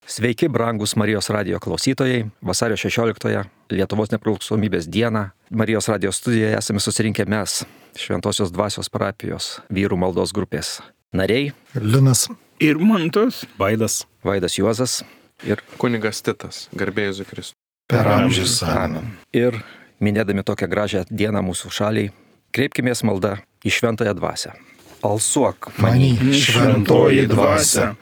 Sveiki, brangus Marijos radijo klausytojai. Vasario 16-ąją, Lietuvos nepriklausomybės dieną, Marijos radijo studijoje esame susirinkę mes, Šventosios dvasios parapijos vyrų maldos grupės nariai. Linas ir Mantas, Vaidas Juozas ir kunigas Titas, garbė Jėzui Kristui. per amžius. Amen. Ir minėdami tokią gražią dieną mūsų šaliai, kreipkimės maldą į šventąją dvasią. Alsuok Many šventoji dvasia,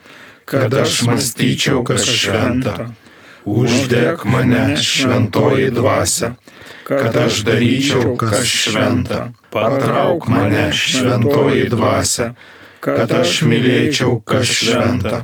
kad aš mąstyčiau, kas šventa. Uždek mane, šventoji dvasia, kad aš daryčiau, kas šventa. Patrauk mane, šventoji dvasia, kad aš mylėčiau, kas šventa.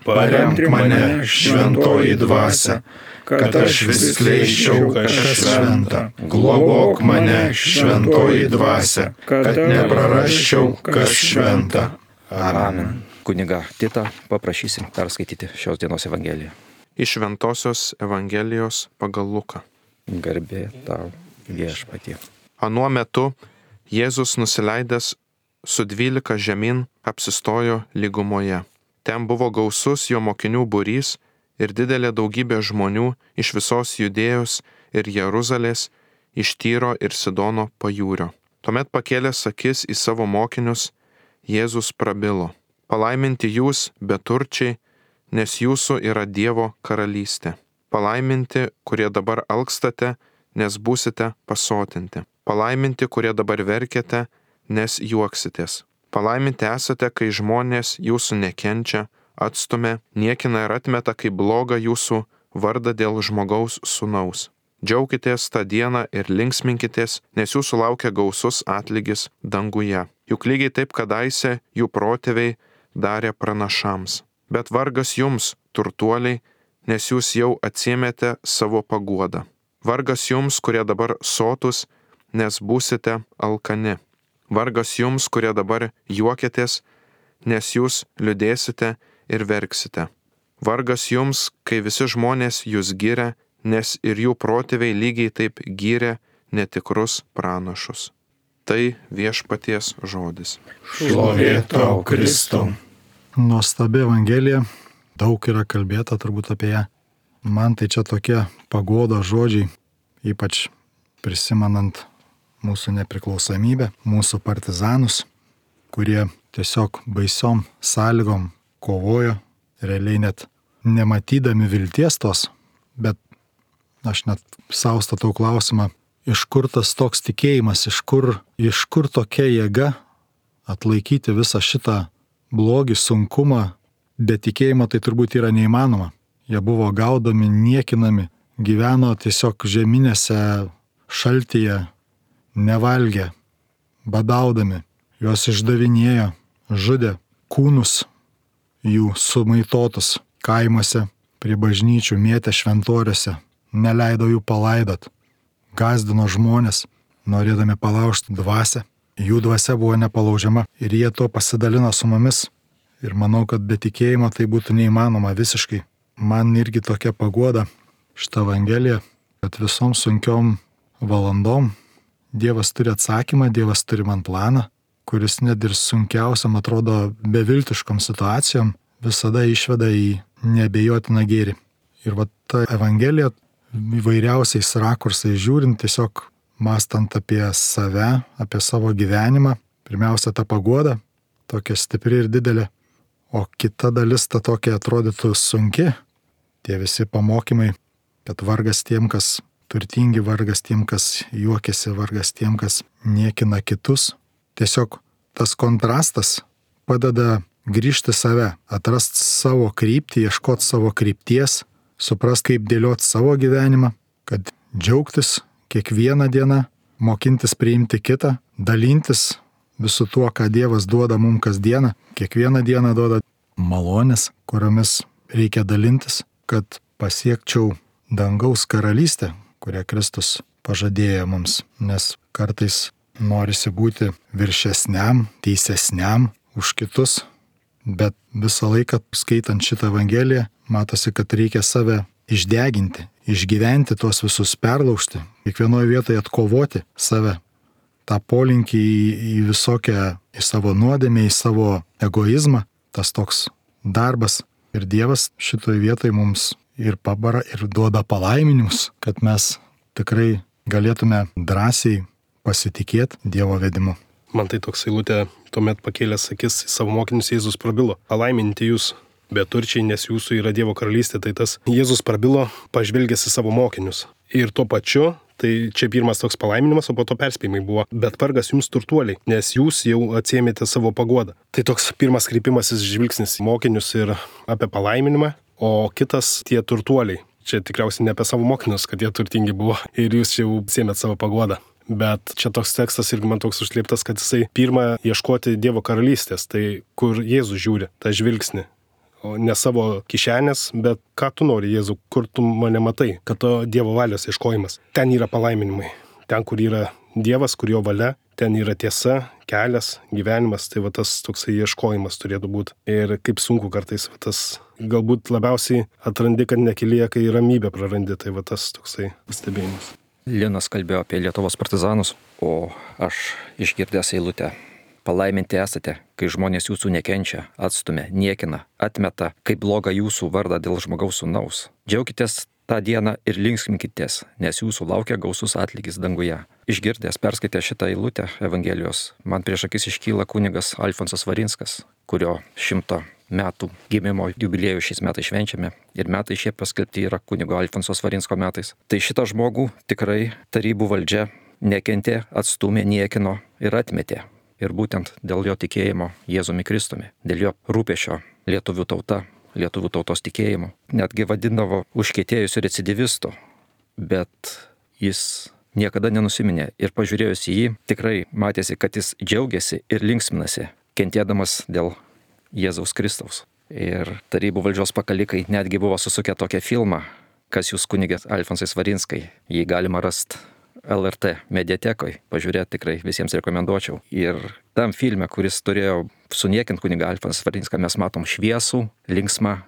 Paremk mane, šventoji dvasia, kad aš vis skleisčiau, kas šventa. Globok mane, šventoji dvasia, kad neprarasčiau, kas šventa. Amen. Kuniga Titą paprašysim perskaityti šios dienos Evangeliją. Iš Šventosios Evangelijos pagal Luką. Garbė tau, Viešpatie. Anuo metu Jėzus nusileidęs su 12 žemyn apsistojo lygumoje. Ten buvo gausus jo mokinių būrys ir didelė daugybė žmonių iš visos Judėjos ir Jeruzalės, iš Tyro ir Sidono pajūrio. Tuomet pakėlęs akis į savo mokinius, Jėzus prabilo: Palaiminti jūs, beturčiai, nes jūsų yra Dievo karalystė. Palaiminti, kurie dabar alkstate, nes būsite pasotinti. Palaiminti, kurie dabar verkiate, nes juoksitės. Palaiminti esate, kai žmonės jūsų nekenčia, atstumia, niekina ir atmeta kaip blogą jūsų vardą dėl žmogaus sūnaus. Džiaukitės tą dieną ir linksminkitės, nes jūsų laukia gausus atlygis danguje. Juk lygiai taip kadaise jų protėviai darė pranašams. Bet vargas jums, turtuoliai, nes jūs jau atsiėmėte savo paguodą. Vargas jums, kurie dabar sotus, nes būsite alkani. Vargas jums, kurie dabar juokėtės, nes jūs liūdėsite ir verksite. Vargas jums, kai visi žmonės jūs giria, nes ir jų protėviai lygiai taip gyrė netikrus pranašus. Tai Viešpaties žodis. Šlovė tau, Kristau. Nuostabi Evangelija, daug yra kalbėta turbūt apie ją. Man tai čia tokie paguodos žodžiai, ypač prisimenant mūsų nepriklausomybę, mūsų partizanus, kurie tiesiog baisiom sąlygom kovojo, realiai net nematydami vilties tos, bet aš net sau statau klausimą, iš kur tas toks tikėjimas, iš kur tokia jėga atlaikyti visą šitą blogį, sunkumą, be tikėjimo tai turbūt yra neįmanoma. Jie buvo gaudomi, niekinami, gyveno tiesiog žeminėse šaltyje, nevalgė, badaudami, juos išdavinėjo, žudė, kūnus jų sumaitotus kaimuose, prie bažnyčių mėtė šventoriuose, neleido jų palaidot, gazdino žmonės, norėdami palaužti dvasią. Jų dvasia buvo nepalaužiama ir jie to pasidalino su mumis. Ir manau, kad be tikėjimo tai būtų neįmanoma visiškai. Man irgi tokia paguoda šitą Evangeliją, kad visom sunkiom valandom Dievas turi atsakymą, Dievas turi man planą, kuris net ir sunkiausiam atrodo beviltiškom situacijom visada išveda į neabejotiną gėrį. Ir va ta Evangelija įvairiausiais rakursais žiūrint, tiesiog mąstant apie save, apie savo gyvenimą, pirmiausia ta paguoda, tokia stipri ir didelė, o kita dalis ta tokia atrodytų sunki, tie visi pamokymai, kad vargas tiem, kas turtingi, vargas tiem, kas juokiasi, vargas tiem, kas niekina kitus. Tiesiog tas kontrastas padeda grįžti save, atrasti savo kryptį, ieškoti savo krypties, suprast, kaip dėlioti savo gyvenimą, kad džiaugtis kiekvieną dieną, mokintis priimti kitą, dalintis visu tuo, ką Dievas duoda mums kasdieną. Kiekvieną dieną duoda malonės, kuriomis reikia dalintis, kad pasiekčiau dangaus karalystę, kurią Kristus pažadėjo mums. Nes kartais norisi būti viršesniam, teisesniam už kitus, bet visą laiką skaitant šitą Evangeliją, matosi, kad reikia save išdeginti, išgyventi tuos visus, perlaužti, kiekvienoje vietoje atkovoti save, tą polinkį į visokią, į savo nuodėmę, į savo egoizmą, tas toks darbas Ir Dievas šitoje vietoje mums ir pabara, ir duoda palaiminimus, kad mes tikrai galėtume drąsiai pasitikėti Dievo vedimu. Man tai toks eilutė, tuomet pakėlęs akis į savo mokinius Jėzus prabilo: palaiminti jūs, beturčiai, nes jūsų yra Dievo karalystė. Tai tas Jėzus prabilo, pažvelgęs į savo mokinius. Ir tuo pačiu, tai čia pirmas toks palaiminimas, o po to perspėjimai buvo: bet vargas jums turtuoliai, nes jūs jau atsiėmėte savo paguodą. Tai toks pirmas kreipimasis žvilgsnis į mokinius ir apie palaiminimą, o kitas tie turtuoliai. Čia tikriausiai ne apie savo mokinius, kad jie turtingi buvo ir jūs jau atsiėmėte savo paguodą. Bet čia toks tekstas irgi man toks užslėptas, kad jisai pirma ieškoti Dievo karalystės, tai kur Jėzus žiūri, tą žvilgsnį. O ne savo kišenės, bet ką tu nori, Jėzau, kur tu mane matai, kad to Dievo valios ieškojimas. Ten yra palaiminimai. Ten, kur yra Dievas, kur jo valia, ten yra tiesa, kelias, gyvenimas. Tai va tas toksai ieškojimas turėtų būti. Ir kaip sunku kartais va tas, galbūt labiausiai atrandi, kad nekelyje, kai ramybę prarandi. Tai va tas toksai pastebėjimas. Linas kalbėjo apie Lietuvos partizanus, o aš išgirdęs eilutę: palaiminti esate, kai žmonės jūsų nekenčia, atstumia, niekina, atmeta kaip blogą jūsų vardą dėl žmogaus sūnaus. Džiaukitės tą dieną ir linksminkitės, nes jūsų laukia gausus atlygis danguje. Išgirdęs, perskaitę šitą eilutę Evangelijos, man prieš akis iškyla kunigas Alfonsas Svarinskas, kurio 100 metų gimimo jubiliejų šiais metais švenčiame ir metai šie paskelbti yra kunigo Alfonso Svarinsko metais. Tai šitą žmogų tikrai tarybų valdžia nekentė, atstūmė, niekino ir atmetė. Ir būtent dėl jo tikėjimo Jėzumi Kristumi, dėl jo rūpesčio lietuvių tauta, lietuvių tautos tikėjimu, netgi vadindavo užkietėjusiu recidivistu, bet jis niekada nenusiminė ir pažiūrėjus į jį tikrai matėsi, kad jis džiaugiasi ir linksminasi, kentėdamas dėl Jėzaus Kristaus. Ir tarybų valdžios pakalikai netgi buvo susukę tokią filmą, kas jūs kunigės Alfonsai Svarinskai. Jį galima rasti LRT mediatekoje, pažiūrėti tikrai visiems rekomenduočiau. Ir tam filme, kuris turėjo suniekinti kunigą Alfonsą Svarinską, mes matom šviesų, linksmą,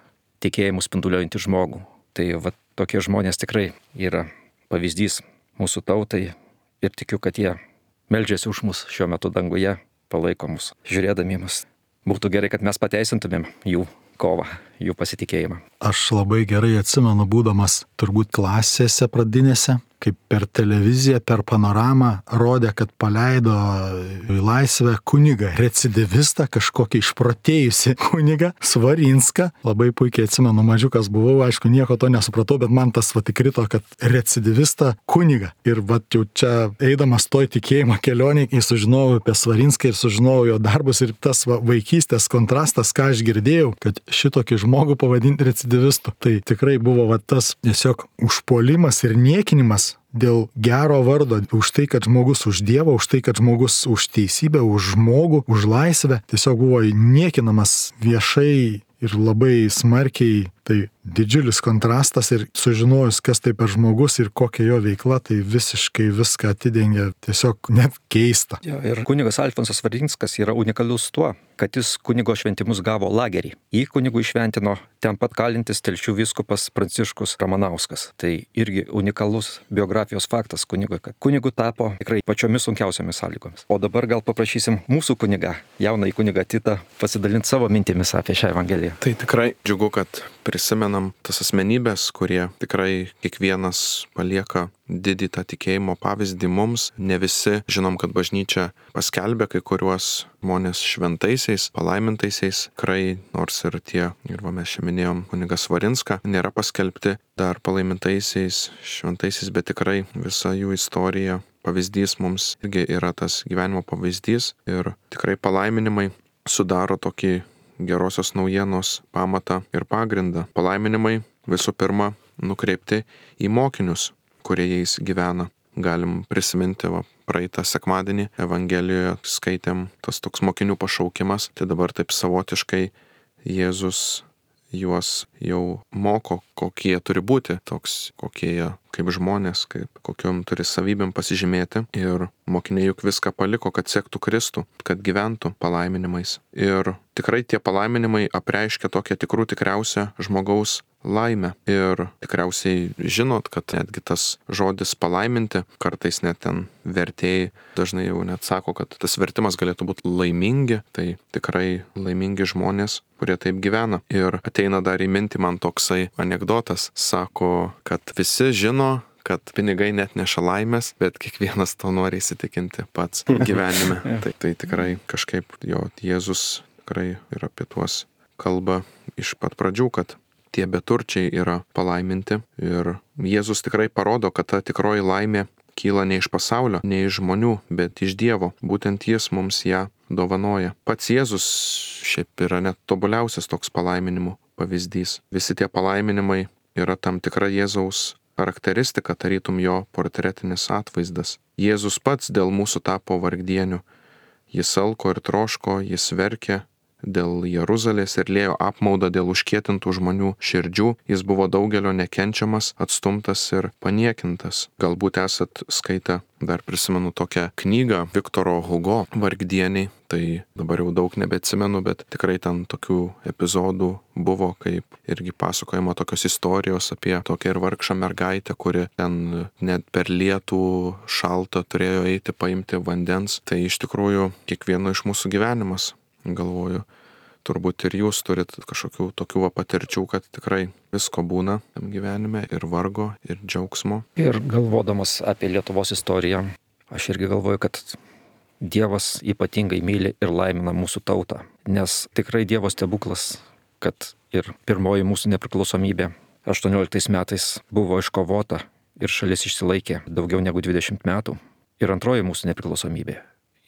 tikėjimų spinduliuojantį žmogų. Tai va tokie žmonės tikrai yra pavyzdys mūsų tautai ir tikiu, kad jie meldžiasi už mus šiuo metu danguje, palaiko mus, žiūrėdami mus. Būtų gerai, kad mes pateisintumėm jų kovą, jų pasitikėjimą. Aš labai gerai atsimenu, būdamas turbūt klasėse pradinėse, kaip per televiziją, per panoramą rodė, kad paleido į laisvę kunigą, recidivistą, kažkokį išprotėjusi kunigą, Svarinską. Labai puikiai atsimenu, mažiukas buvau, aišku, nieko to nesupratau, bet man tas įkrito, kad recidivistą kunigą. Ir jau čia eidamas toj tikėjimo kelionėje, sužinojau apie Svarinską ir sužinojau jo darbus ir tas vaikystės kontrastas, ką aš girdėjau, kad šitokį žmogų pavadinti recidivistu. Tai tikrai buvo tas tiesiog užpuolimas ir niekinimas dėl gero vardo, už tai, kad žmogus už Dievą, už tai, kad žmogus už teisybę, už žmogų, už laisvę, tiesiog buvo niekinamas viešai ir labai smarkiai. Tai didžiulis kontrastas ir sužinojus, kas tai per žmogus ir kokia jo veikla, tai visiškai viską atidengia, tiesiog net keista. Ja, ir kunigas Alfonsas Svarinskas yra unikalus tuo, kad jis kunigo šventimus gavo lagerį. Jį kunigų išventino ten pat kalintis Telšių vyskupas Pranciškus Ramanauskas. Tai irgi unikalus biografijos faktas kunigui, kad kunigu tapo tikrai pačiomis sunkiausiamis sąlygomis. O dabar gal paprašysim mūsų kunigą, jaunąjį kunigą Titą, pasidalinti savo mintimis apie šią Evangeliją. Tai tikrai džiugu, kad prisimenam tas asmenybės, kurie tikrai kiekvienas palieka didį tą tikėjimo pavyzdį mums. Ne visi žinom, kad bažnyčia paskelbė kai kuriuos žmonės šventaisiais, palaimintaisiais. Tikrai, nors ir tie, ir mes čia minėjom kunigą Svarinską, nėra paskelbti dar palaimintaisiais, šventaisiais, bet tikrai visa jų istorija, pavyzdys mums irgi yra tas gyvenimo pavyzdys. Ir tikrai palaiminimai sudaro tokį gerosios naujienos pamatą ir pagrindą. Palaiminimai visų pirma nukreipti į mokinius, kurie jais gyvena. Galim prisiminti, praeitą sekmadienį Evangelijoje skaitėm tas toks mokinių pašaukimas, tai dabar taip savotiškai Jėzus juos jau moko, kokie jie turi būti, toks, kokie jie kaip žmonės, kokiom turi savybėm pasižymėti. Ir mokiniai juk viską paliko, kad sektų Kristų, kad gyventų palaiminimais. Ir tikrai tie palaiminimai apreiškia tokią tikriausią žmogaus laimę. Ir tikriausiai žinot, kad netgi tas žodis palaiminti, kartais net ten vertėjai dažnai jau net sako, kad tas vertimas galėtų būti laimingi, tai tikrai laimingi žmonės, kurie taip gyvena. Ir ateina dar į mintį man toksai anekdotas, sako, kad visi žino, kad pinigai net neša laimės, bet kiekvienas to nori įsitikinti pats gyvenime. Tai tikrai kažkaip jo Jėzus tikrai ir apie tuos kalba iš pat pradžių, kad tie beturčiai yra palaiminti. Ir Jėzus tikrai parodo, kad ta tikroji laimė kyla ne iš pasaulio, ne iš žmonių, bet iš Dievo. Būtent Jis mums ją dovanoja. Pats Jėzus šiaip yra net tobuliausias toks palaiminimų pavyzdys. Visi tie palaiminimai yra tam tikra Jėzaus charakteristika, tarytum jo portretinis atvaizdas. Jėzus pats dėl mūsų tapo vargdieniu. Jis alko ir troško, jis verkė dėl Jeruzalės ir liejo apmaudą dėl užkietintų žmonių širdžių. Jis buvo daugelio nekenčiamas, atstumtas ir paniekintas. Galbūt esat skaitę, dar prisimenu tokią knygą Viktoro Hugo Vargdieniai. Tai dabar jau daug nebeatsimenu, bet tikrai ten tokių epizodų buvo, kaip irgi pasakojama tokios istorijos apie tokią ir vargšą mergaitę, kuri ten net per lietų šaltą turėjo eiti paimti vandens. Tai iš tikrųjų kiekvieno iš mūsų gyvenimas. Galvoju, turbūt ir jūs turit kažkokių tokių patirčių, kad tikrai visko būna tam gyvenime, ir vargo, ir džiaugsmo. Ir galvodamas apie Lietuvos istoriją, aš irgi galvoju, kad Dievas ypatingai myli ir laimina mūsų tautą. Nes tikrai Dievo stebuklas, kad ir pirmoji mūsų nepriklausomybė 18 metais buvo iškovota ir šalis išsilaikė daugiau negu 20 metų. Ir antroji mūsų nepriklausomybė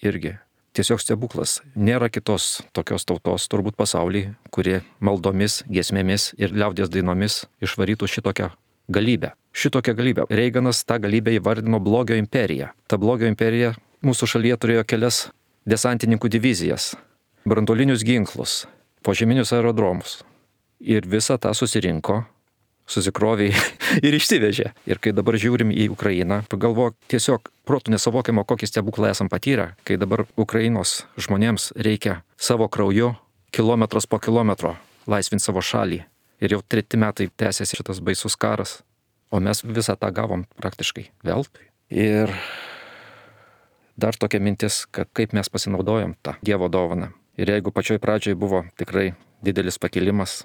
irgi. Tiesiog stebuklas. Nėra kitos tokios tautos turbūt pasaulyje, kuri maldomis, giesmėmis ir liaudies dainomis išvarytų šitokią galybę. Šitokią galybę. Reiganas tą galybę įvardino blogio imperija. Ta blogio imperija mūsų šalyje turėjo kelias desantininkų divizijas, branduolinius ginklus, požeminius aerodromus. Ir visą tą susikrovė ir išsivežė. Ir kai dabar žiūrim į Ukrainą, pagalvok, tiesiog protų nesuvokiama, kokį stebuklą esam patyrę, kai dabar Ukrainos žmonėms reikia savo krauju kilometras po kilometro laisvinti savo šalį. Ir jau 3 metai tęsiasi šitas baisus karas, o mes visą tą gavom praktiškai veltui. Ir dar tokia mintis, kad kaip mes pasinaudojom tą Dievo dovaną. Ir jeigu pačioj pradžioj buvo tikrai didelis pakilimas,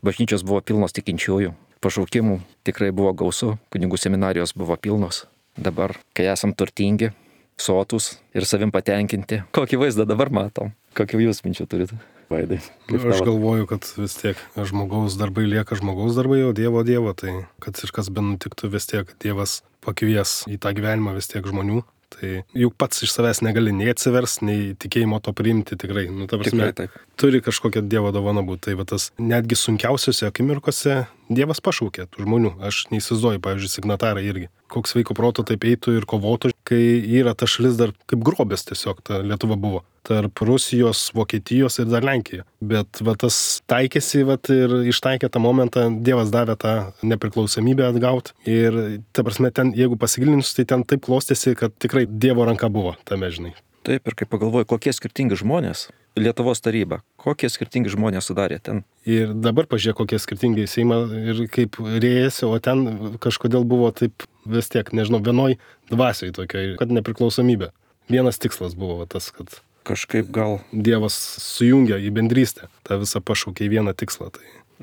bažnyčios buvo pilnos tikinčiųjų, pašaukimų tikrai buvo gausu, kunigų seminarijos buvo pilnos. Dabar, kai esam turtingi, sotus ir savim patenkinti, kokį vaizdą dabar matom? Kokių jūs minčių turite, Vaidai? Aš galvoju, kad vis tiek žmogaus darbai lieka žmogaus darbai, o Dievo, tai kad ir kas benutiktų, vis tiek Dievas pakvies į tą gyvenimą vis tiek žmonių. Tai juk pats iš savęs negali nei atsivers, nei tikėjimo to priimti tikrai. Ta prasme, tikrai taip. Turi kažkokia Dievo dovana būti. Tai va tas netgi sunkiausiose akimirkose Dievas pašaukė tų žmonių. Aš neįsivaizduoju, pavyzdžiui, signatarai irgi. Koks sveiko proto taip eitų ir kovotų, kai yra ta šalis dar kaip grobės tiesiog, ta Lietuva buvo. Tarp Rusijos, Vokietijos ir dar Lenkija. Bet va tas taikėsi ir ištaikė tą momentą, Dievas davė tą nepriklausomybę atgauti. Ir ta prasme, ten, jeigu pasigilinus, tai ten taip klostėsi, kad tikrai Dievo ranka buvo tame, žinai. Taip, ir kai pagalvoju, kokie skirtingi žmonės, Lietuvos taryba, kokie skirtingi žmonės sudarė ten. Ir dabar pažiūrėk, kokie skirtingi Seimą ir kaip rėjasi, o ten kažkodėl buvo taip vis tiek, nežinau, vienoj dvasioj tokioj, kad nepriklausomybė. Vienas tikslas buvo tas, kad kažkaip gal Dievas sujungia į bendrystę, tą visą pašaukė į vieną tikslą.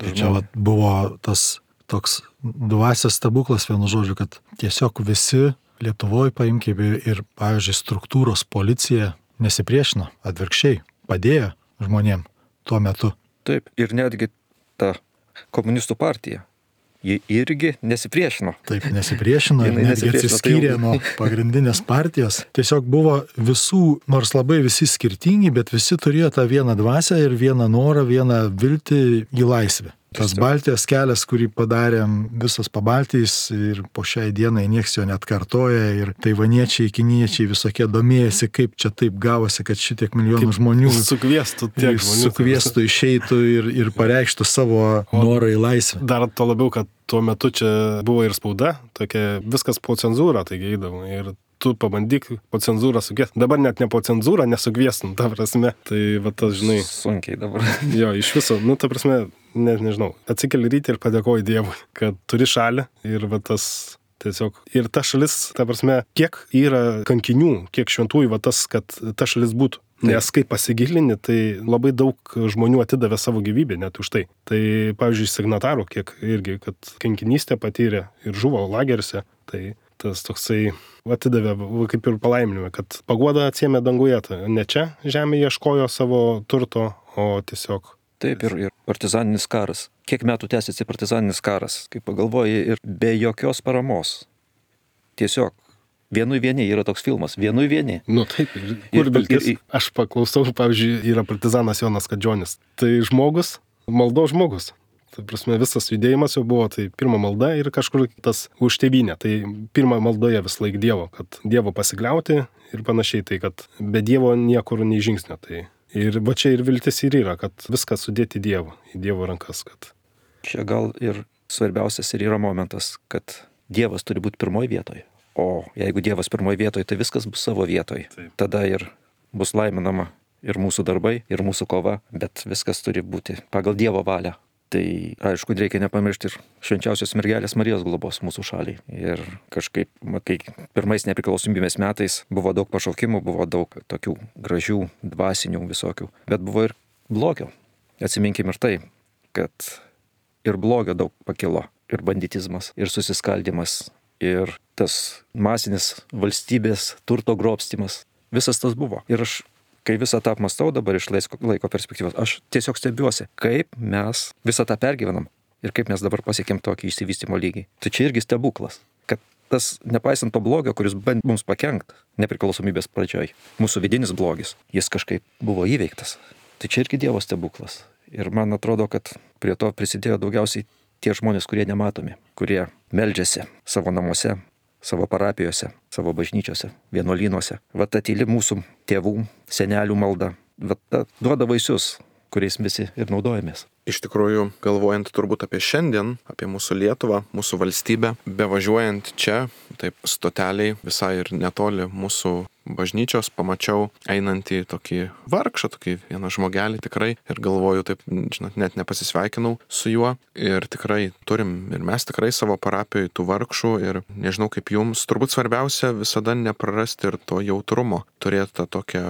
Tai čia buvo tas toks dvasios stebuklas, vienu žodžiu, kad tiesiog visi Lietuvoje paimkime ir, pavyzdžiui, struktūros policija nesipriešino, atvirkščiai, padėjo žmonėm tuo metu. Taip, ir netgi ta komunistų partija, ji irgi nesipriešino. Taip, nesipriešino ir netgi atsiskyrė nuo pagrindinės partijos. Tiesiog buvo visų, nors labai visi skirtingi, bet visi turėjo tą vieną dvasią ir vieną norą, vieną viltį į laisvę. Tas Baltijos kelias, kurį padarėm visas Pabaltijs ir po šiai dienai nieks jo net kartoja ir taivaniečiai, kiniečiai visokie domėjasi, kaip čia taip gavosi, kad šitiek milijonų žmonių sukviestų tiek žmonių. Sukviestų, išeitų ir pareikštų savo norą į laisvę. Dar to labiau, kad tuo metu čia buvo ir spauda, tokia viskas po cenzūrą, taigi eidavo ir tu pabandyk po cenzūrą sukviesti. Dabar net ne po cenzūrą nesukviestum, ta prasme. Tai va tas, žinai. Sunkiai dabar. Jo, iš viso, ta prasme, nežinau, atsikeli rytį ir padėkoji Dievui, kad turi šalį ir va tas tiesiog. Ir ta šalis, ta prasme, kiek yra kankinių, kiek šventųjų, va tas, kad ta šalis būtų. Nes kai pasigilini, tai labai daug žmonių atidavė savo gyvybę net už tai. Tai, pavyzdžiui, signatarų, kiek irgi, kad kankinystę patyrė ir žuvo lageriuose, tai tas toksai atidavė, kaip ir palaiminime, kad paguoda atsiėmė danguje, ne čia žemė ieškojo savo turto, o tiesiog. Taip, ir partizaninis karas. Kiek metų tęsiasi partizaninis karas, kaip pagalvoji, ir be jokios paramos. Tiesiog. Vienui vieni yra toks filmas, vienui vieni. Taip, kur viltis? Aš paklausau, pavyzdžiui, yra partizanas Jonas Kadžionis. Tai žmogus, maldos žmogus. Tai prasme, visas judėjimas jau buvo, tai pirma malda ir kažkur tas už tėvynę. Tai pirma maldoje vis laik Dievo, kad Dievo pasikliauti ir panašiai, tai kad be Dievo niekur nei žingsnio. Tai ir va čia ir viltis ir yra, kad viską sudėti į Dievo rankas. Kad. Čia gal ir svarbiausias ir yra momentas, kad Dievas turi būti pirmoje vietoje. O jeigu Dievas pirmoje vietoje, tai viskas bus savo vietoje. Taip. Tada ir bus laiminama ir mūsų darbai, ir mūsų kova, bet viskas turi būti pagal Dievo valią. Tai aišku, reikia nepamiršti ir švenčiausios mergelės Marijos globos mūsų šaliai. Ir kažkaip, kai pirmais nepriklausomybės metais buvo daug pašaukimų, buvo daug tokių gražių, dvasinių visokių, bet buvo ir blogio. Atsiminkim ir tai, kad ir blogio daug pakilo, ir banditizmas, ir susiskaldimas, ir tas masinis valstybės turto grobstimas. Visas tas buvo. Ir aš, kai visą tą apmastau dabar iš laiko perspektyvos, aš tiesiog stebiuosi, kaip mes visą tą pergyvenam ir kaip mes dabar pasiekėm tokį išsivystymo lygį. Tai čia irgi stebuklas, kad tas, nepaisant to blogio, kuris bandė mums pakenkt nepriklausomybės pradžioj, mūsų vidinis blogis, jis kažkaip buvo įveiktas. Tai čia irgi Dievo stebuklas. Ir man atrodo, kad prie to prisidėjo daugiausiai tie žmonės, kurie nematomi, kurie meldžiasi savo namuose, savo parapijose, savo bažnyčiose, vienuolynuose. Va ta tyli mūsų tėvų, senelių malda, va ta duoda vaisius, kuriais visi ir naudojamės. Iš tikrųjų, galvojant turbūt apie šiandien, apie mūsų Lietuvą, mūsų valstybę, bevažiuojant čia, taip stoteliai visai ir netoli mūsų bažnyčios, pamačiau einantį tokį vargšą, tokį vieną žmogelį tikrai ir galvoju, taip, žinot, net nepasisveikinau su juo ir tikrai turim ir mes tikrai savo parapijoje tų vargšų ir nežinau kaip jums, turbūt svarbiausia visada neprarasti ir to jautrumo, turėti tą tokią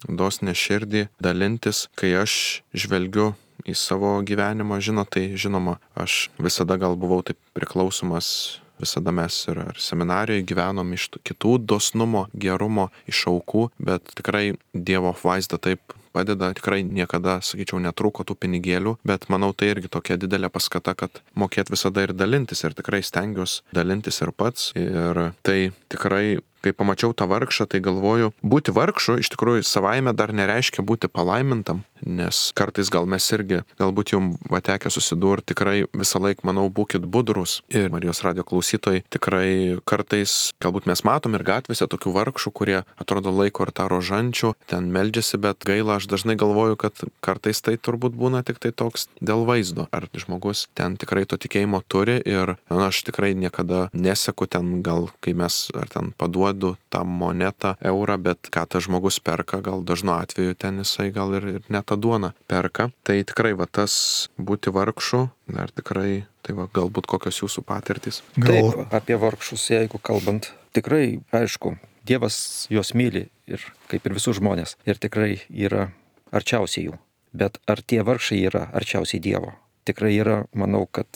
dosnę širdį, dalintis, kai aš žvelgiu į savo gyvenimą, tai žinoma, aš visada gal buvau taip priklausomas, visada mes ir seminarijoje gyvenom iš kitų dosnumo, gerumo, iš aukų, bet tikrai Dievo vaizda taip padeda, tikrai niekada, sakyčiau, netrūko tų pinigėlių, bet manau tai irgi tokia didelė paskata, kad mokėt visada ir dalintis ir tikrai stengiuosi dalintis ir pats ir tai tikrai kai pamačiau tą vargšą, tai galvoju, būti vargšu iš tikrųjų savaime dar nereiškia būti palaimintam, nes kartais gal mes irgi, galbūt jums tekę susidurti, tikrai visą laiką, manau, būkit budrus. Ir Marijos radijo klausytojai tikrai kartais, galbūt mes matom ir gatvėse tokių vargšų, kurie atrodo laiko ir tą rožančių, ten meldžiasi, bet gaila, aš dažnai galvoju, kad kartais tai turbūt būna tik tai toks dėl vaizdo. Ar žmogus ten tikrai to tikėjimo turi ir aš tikrai niekada neseku ten, gal kai mes ar ten paduodu tą monetą, eurą, bet ką tas žmogus perka, gal dažnu atveju ten jisai gal ir ne tą duoną perka. Tai tikrai va tas būti vargšu, dar tikrai, tai va galbūt kokios jūsų patirtys. Taip, apie vargšus, jeigu kalbant, tikrai, aišku, Dievas juos myli ir kaip ir visus žmonės ir tikrai yra arčiausiai jų. Bet ar tie vargšai yra arčiausiai Dievo? Tikrai yra, manau, kad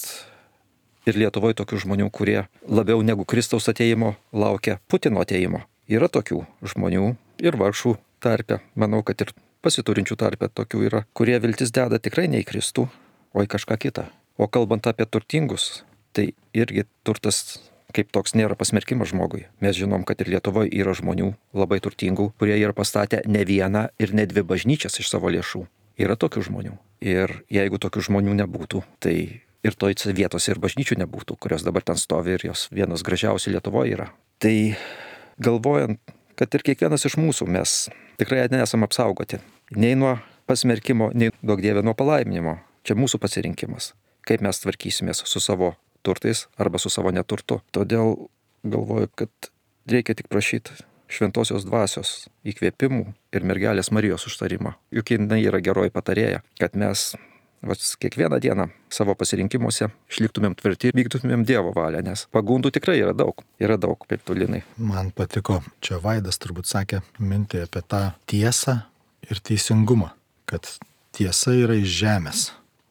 ir Lietuvoje tokių žmonių, kurie labiau negu Kristaus ateimo laukia Putino ateimo. Yra tokių žmonių ir vargšų tarpe, manau, kad ir pasiturinčių tarpe tokių yra, kurie viltis deda tikrai ne į Kristų, o į kažką kitą. O kalbant apie turtingus, tai irgi turtas kaip toks nėra pasmerkimas žmogui. Mes žinom, kad ir Lietuvoje yra žmonių labai turtingų, kurie yra pastatę ne vieną ir ne dvi bažnyčias iš savo lėšų. Yra tokių žmonių. Ir jeigu tokių žmonių nebūtų, tai ir toj vietose ir bažnyčių nebūtų, kurios dabar ten stovi ir jos vienos gražiausių Lietuvoje yra. Tai galvojant, kad ir kiekvienas iš mūsų mes tikrai nesam apsaugoti. Nei nuo pasmerkimo, nei duok Dieve nuo palaiminimo. Čia mūsų pasirinkimas, kaip mes tvarkysimės su savo turtais arba su savo neturtu. Todėl galvoju, kad reikia tik prašyti šventosios dvasios įkvėpimų ir mergelės Marijos užtarimo. Juk jinai yra geroji patarėja, kad mes kiekvieną dieną savo pasirinkimuose išliktumėm tvirti ir vykdytumėm Dievo valią, nes pagundų tikrai yra daug, kaip tu, Linai. Man patiko, čia Vaidas turbūt sakė mintį apie tą tiesą ir teisingumą, kad tiesa yra iš žemės,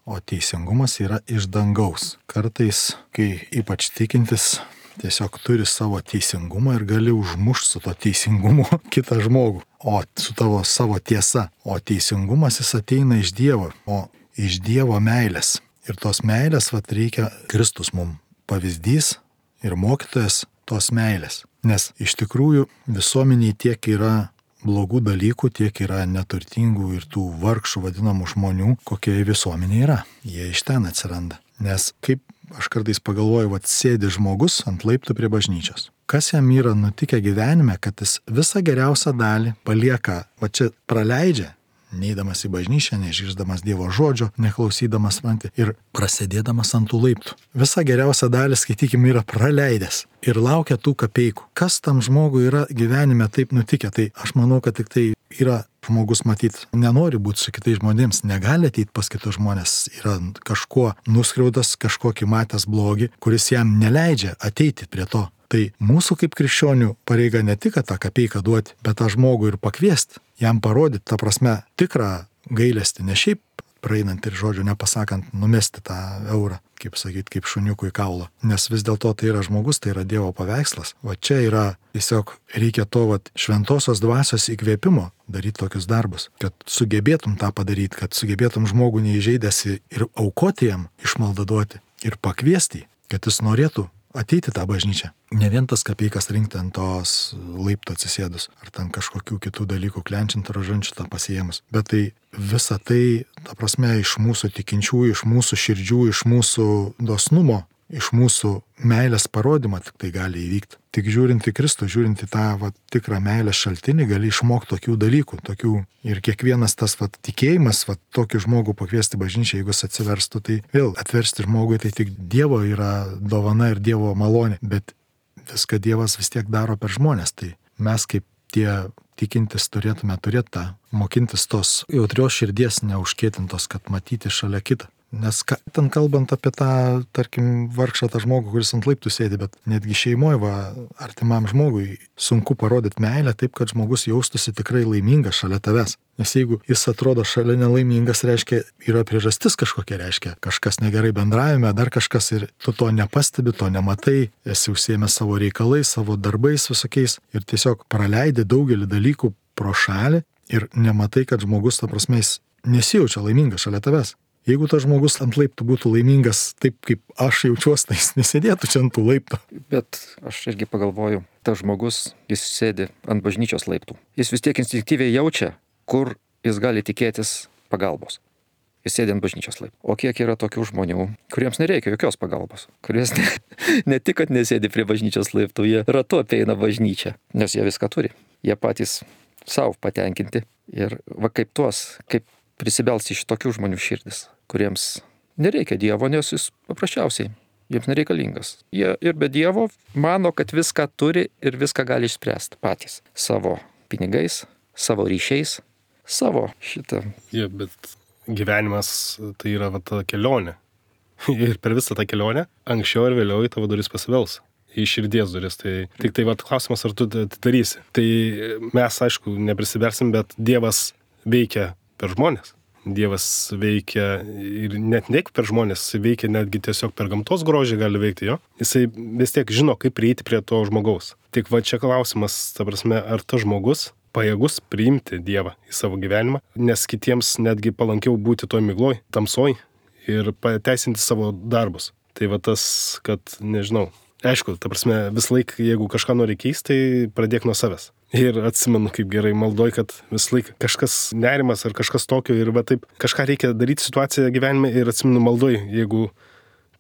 o teisingumas yra iš dangaus. Kartais, kai ypač tikintis tiesiog turi savo teisingumą ir gali užmušti su to teisingumu kitą žmogų, o su tavo savo tiesa. O teisingumas jis ateina iš Dievo, o iš Dievo meilės. Ir tos meilės reikia Kristus mums pavyzdys ir mokytojas tos meilės. Nes iš tikrųjų visuomeniai tiek yra blogų dalykų, tiek yra neturtingų ir tų vargšų vadinamų žmonių, kokie visuomenė yra. Jie iš ten atsiranda. Nes kaip aš kartais pagalvoju, sėdi žmogus ant laiptų prie bažnyčios. Kas jam yra nutikę gyvenime, kad jis visą geriausią dalį palieka, čia praleidžia, neidamas į bažnyčią, neišgirdamas Dievo žodžio, neklausydamas ir prasėdėdamas ant tų laiptų. Visą geriausią dalį, skaitykim, yra praleidęs ir laukia tų kapeikų. Kas tam žmogui yra gyvenime taip nutikę? Tai aš manau, kad tik tai yra žmogus matyt, nenori būti su kitais žmonėms, negali ateiti pas kitus žmonės, yra kažkuo nuskriaudas, kažkokį matęs blogį, kuris jam neleidžia ateiti prie to. Tai mūsų kaip krikščionių pareiga ne tik tą kapeiką duoti, bet tą žmogų ir pakviesti, jam parodyti, ta prasme, tikrą gailestį, ne šiaip praeinant ir žodžio nepasakant, numesti tą eurą, kaip šuniukui kaulą. Nes vis dėlto tai yra žmogus, tai yra Dievo paveikslas. Čia yra tiesiog reikia to šventosios dvasios įkvėpimo daryti tokius darbus, kad sugebėtum tą padaryti, kad sugebėtum žmogų neįžeidęs ir aukoti jam išmaldą duoti ir pakviesti, kad jis norėtų ateiti tą bažnyčią. Ne vien tas kapeikas rinkti ant tos laiptų atsisėdus, ar ten kažkokių kitų dalykų klenčiant ar žančių tą pasiemus. Bet tai visa tai, ta prasme, iš mūsų tikinčiųjų, iš mūsų širdžių, iš mūsų dosnumo, iš mūsų meilės parodymą tik tai gali įvykti. Tik žiūrint į Kristų, žiūrint į tą tikrą meilės šaltinį, gali išmokti tokių dalykų, ir kiekvienas tas tikėjimas, tokį žmogų pakviesti bažnyčią, jeigu jis atsiverstų, tai vėl atversti žmogui, tai tik Dievo yra dovana ir Dievo malonė, bet viską Dievas vis tiek daro per žmonės, tai mes kaip tie tikintis turėtume tą mokintis tos jautrios širdies neužkėtintos, kad matyti šalia kitą. Nes ten kalbant apie tą, tarkim, vargšą tą žmogų, kuris ant laiptų sėdi, bet netgi šeimoje, artimam žmogui sunku parodyti meilę taip, kad žmogus jaustųsi tikrai laimingas šalia tavęs. Nes jeigu jis atrodo šalia nelaimingas, reiškia, yra priežastis kažkokia, reiškia, kažkas negerai bendravime, dar kažkas ir tu to nepastebi, to nematai, esi užsiėmęs savo reikalais, savo darbais visokiais ir tiesiog praleidi daugelį dalykų pro šalį ir nematai, kad žmogus, ta prasme, jis nesijaučia laimingas šalia tavęs. Jeigu tas žmogus ant laiptų būtų laimingas taip, kaip aš jaučiuosi, tai jis nesėdėtų čia ant tų laiptų. Bet aš irgi pagalvoju, tas žmogus, jis sėdi ant bažnyčios laiptų. Jis vis tiek instinktyviai jaučia, kur jis gali tikėtis pagalbos. Jis sėdi ant bažnyčios laiptų. O kiek yra tokių žmonių, kuriems nereikia jokios pagalbos, kuries ne tik, kad nesėdi prie bažnyčios laiptų, jie ratu apeina bažnyčią, nes jie viską turi. Jie patys savo patenkinti ir kaip prisibelsti iš tokių žmonių širdis, kuriems nereikia Dievo, nes jis paprasčiausiai jiems nereikalingas. Jie ir be Dievo mano, kad viską turi ir viską gali išspręsti patys. Savo pinigais, savo ryšiais, savo šitą. Bet gyvenimas tai yra ta kelionė. Ir per visą tą kelionę, anksčiau ir vėliau į tavo duris pasibels. Į širdies duris. Tai tik tai klausimas, ar tu darysi. Tai mes, aišku, neprisibersim, bet Dievas veikia per žmonės. Dievas veikia ir net ne per žmonės, jis veikia netgi tiesiog per gamtos grožį gali veikti jo. Jisai vis tiek žino, kaip prieiti prie to žmogaus. Tik čia klausimas, ta prasme, ar tas žmogus pajėgus priimti Dievą į savo gyvenimą, nes kitiems netgi palankiau būti toj migloj, tamsoj ir pateisinti savo darbus. Tai tas, kad, nežinau, aišku, ta prasme, vis laik, jeigu kažką nori keisti, tai pradėk nuo savęs. Ir atsimenu, kaip gerai maldoj, kad vis laik kažkas nerimas ar kažkas tokio ir taip kažką reikia daryti situaciją gyvenime ir atsimenu maldoj, jeigu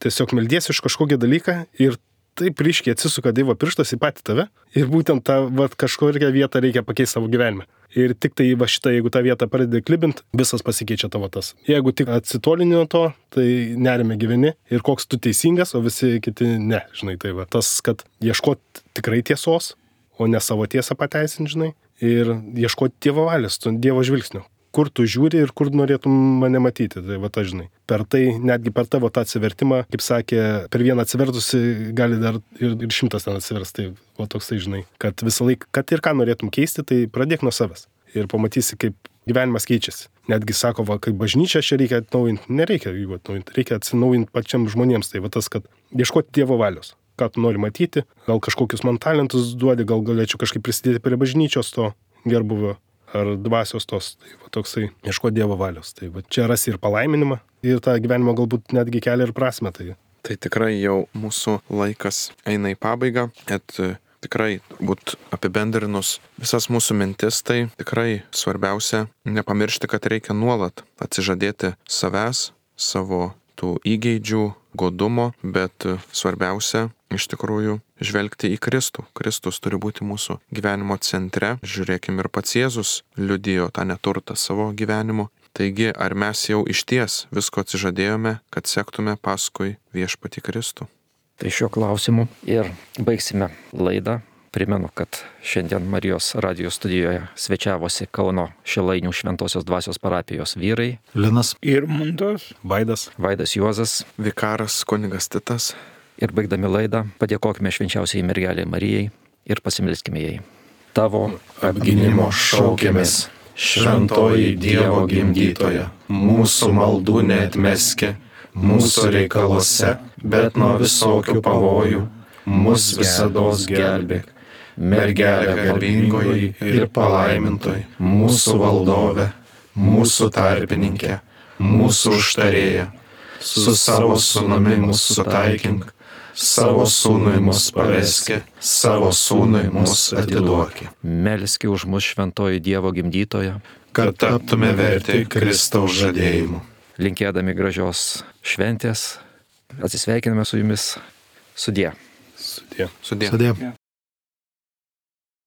tiesiog meldiesi iš kažkokį dalyką ir taip ryškiai atsisuka Dievo pirštas į patį tave ir būtent tą kažkokią vietą reikia pakeisti savo gyvenime. Ir tik tai šitą, jeigu tą vietą pradedi klibint, visas pasikeičia tavo tas. Jeigu tik atsitolini nuo to, tai nerime gyveni ir koks tu teisingas, o visi kiti ne, žinai, tai tas, kad ieškot tikrai tiesos, o ne savo tiesą pateisinti, žinai, ir ieškoti Dievo valios, Dievo žvilgsnio. Kur tu žiūri ir kur norėtum mane matyti, tai žinai. Per tai, netgi per tavo tą atsivertimą, kaip sakė, per vieną atsivertusi gali dar ir 100 ten atsivers, tai toksai, žinai, kad visą laiką, kad ir ką norėtum keisti, tai pradėk nuo savęs. Ir pamatysi, kaip gyvenimas keičiasi. Netgi sako, kaip bažnyčia čia reikia atnaujinti, nereikia jų atnaujinti, reikia atsinaujinti pačiam žmonėms, tai tas, kad ieškoti Dievo valios. Ką tu nori matyti, gal kažkokius man talentus duodi, gal galėčiau kažkaip prisidėti prie bažnyčios to gerbuvio. Ar dvasios tos, tai toksai ieško Dievo valios. Tai čia rasi ir palaiminimą, ir tą gyvenimą galbūt netgi kelia ir prasme. Tai tikrai jau mūsų laikas eina į pabaigą, kad tikrai būt apibendrinus visas mūsų mintis, tai tikrai svarbiausia nepamiršti, kad reikia nuolat atsižadėti savęs, savo tų įgeidžių, godumo, bet svarbiausia iš tikrųjų žvelgti į Kristų. Kristus turi būti mūsų gyvenimo centre. Žiūrėkim, ir pats Jėzus liudijo tą neturtą savo gyvenimu. Taigi, ar mes jau išties visko atsižadėjome, kad sektume paskui viešpatį Kristų? Tai šiuo klausimu ir baigsime laidą. Primenu, kad šiandien Marijos radijo studijoje svečiavosi Kauno Šilainių Šventosios dvasios parapijos vyrai Linas ir Mundos, Vaidas Juozas, vikaras kunigas Titas. Ir baigdami laidą padėkokime švenčiausiai mergelei Marijai ir pasimelskime jai. Tavo apgynimo šaukėmės, šventoji Dievo gimdytoja, mūsų maldų neatmeski, mūsų reikaluose, bet nuo visokių pavojų, mus visados gelbėk. Mergelė garbingoji ir palaimintoji, mūsų valdove, mūsų tarpininkė, mūsų užtarėja, su savo sūnumi mus sutaikink, savo sūnui mus paveski, savo sūnui mus atiduoki. Melski už mus šventoji Dievo gimdytoja, kad taptume verti Kristaus žadėjimų. Linkėdami gražios šventės, atsisveikiname su jumis. Sudie. Sudie. Sudie. Sudie.